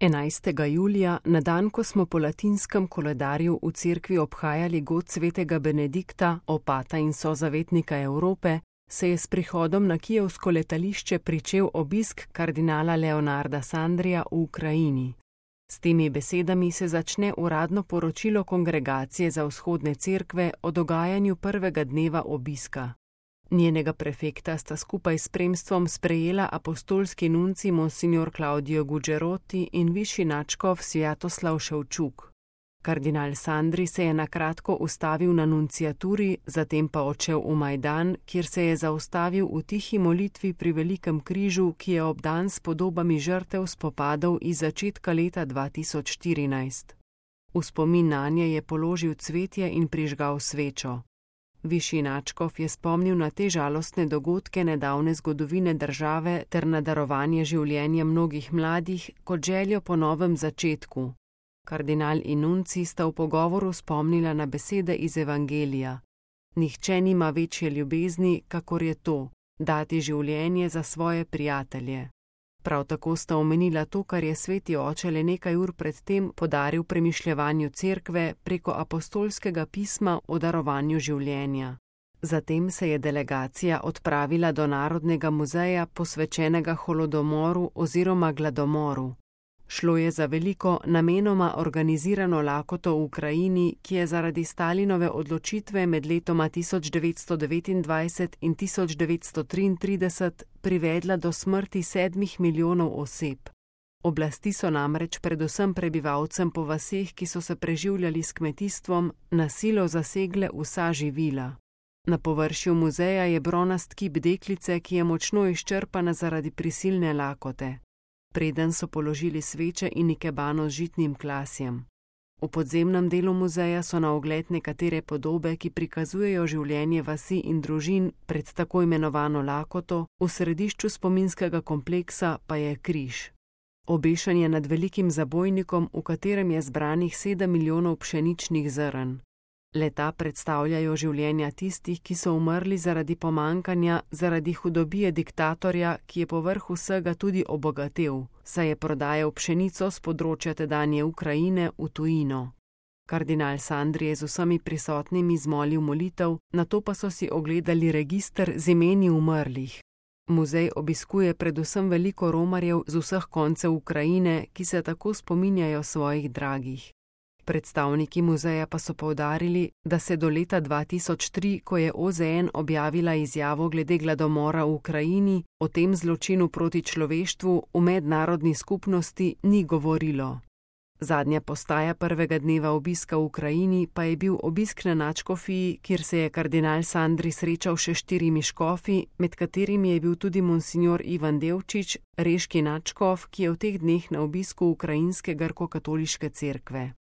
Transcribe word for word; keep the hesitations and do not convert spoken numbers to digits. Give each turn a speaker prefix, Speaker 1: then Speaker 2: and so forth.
Speaker 1: enajstega julija, na dan, ko smo po latinskem koledarju v cerkvi obhajali god svetega Benedikta, opata in sozavetnika Evrope, se je s prihodom na kijevsko letališče pričel obisk kardinala Leonarda Sandrija v Ukrajini. S temi besedami se začne uradno poročilo Kongregacije za vzhodne cerkve o dogajanju prvega dneva obiska. Njenega prefekta sta skupaj s spremstvom sprejela apostolski nunci monsignor Claudio Gugerotti in višji nadškof Svjatoslav Ševčuk. Kardinal Sandri se je na kratko ustavil na nunciaturi, zatem pa odšel v Majdan, kjer se je zaustavil v tihi molitvi pri velikem križu, ki je obdan s podobami žrtev spopadov iz začetka leta dva tisoč štirinajst. V spomin nanje je položil cvetje in prižgal svečo. Višji nadškof je spomnil na te žalostne dogodke nedavne zgodovine države ter na darovanje življenja mnogih mladih kot željo po novem začetku. Kardinal in nunci sta v pogovoru spomnila na besede iz Evangelija. Nihče nima večje ljubezni, kakor je to, dati življenje za svoje prijatelje. Prav tako sta omenila to, kar je sveti oče le nekaj ur pred tem podaril premišljevanju cerkve preko apostolskega pisma o darovanju življenja. Zatem se je delegacija odpravila do Narodnega muzeja, posvečenega holodomoru oziroma gladomoru. Šlo je za veliko, namenoma organizirano lakoto v Ukrajini, ki je zaradi Stalinove odločitve med letoma tisoč devetsto devetindvajset in tisoč devetsto triintrideset privedla do smrti sedmih milijonov oseb. Oblasti so namreč predvsem prebivalcem po vaseh, ki so se preživljali s kmetijstvom, na silo zasegle vsa živila. Na površju muzeja je bronast kip deklice, ki je močno izčrpana zaradi prisilne lakote. Preden so položili sveče in ikebano z žitnim klasjem. V podzemnem delu muzeja so na ogled nekatere podobe, ki prikazujejo življenje vasi in družin pred tako imenovano lakoto, v središču spominskega kompleksa pa je križ. Obešen je nad velikim zabojnikom, v katerem je zbranih sedem milijonov pšeničnih zrn. Leta predstavljajo življenja tistih, ki so umrli zaradi pomankanja, zaradi hudobije diktatorja, ki je povrh vsega tudi obogatel, saj je prodajal pšenico s področja tedanje Ukrajine v tujino. Kardinal Sandri je z vsemi prisotnimi zmolil molitev, nato pa so si ogledali register z imeni umrlih. Muzej obiskuje predvsem veliko romarjev z vseh koncev Ukrajine, ki se tako spominjajo svojih dragih. Predstavniki muzeja pa so poudarili, da se do leta dva tisoč tri, ko je O Z N objavila izjavo glede gladomora v Ukrajini, o tem zločinu proti človeštvu v mednarodni skupnosti ni govorilo. Zadnja postaja prvega dneva obiska v Ukrajini pa je bil obisk na nadškofiji, kjer se je kardinal Sandri srečal še štirimi škofi, med katerimi je bil tudi monsignor Ivan Devčič, reški nadškof, ki je v teh dneh na obisku ukrajinske grko-katoliške cerkve.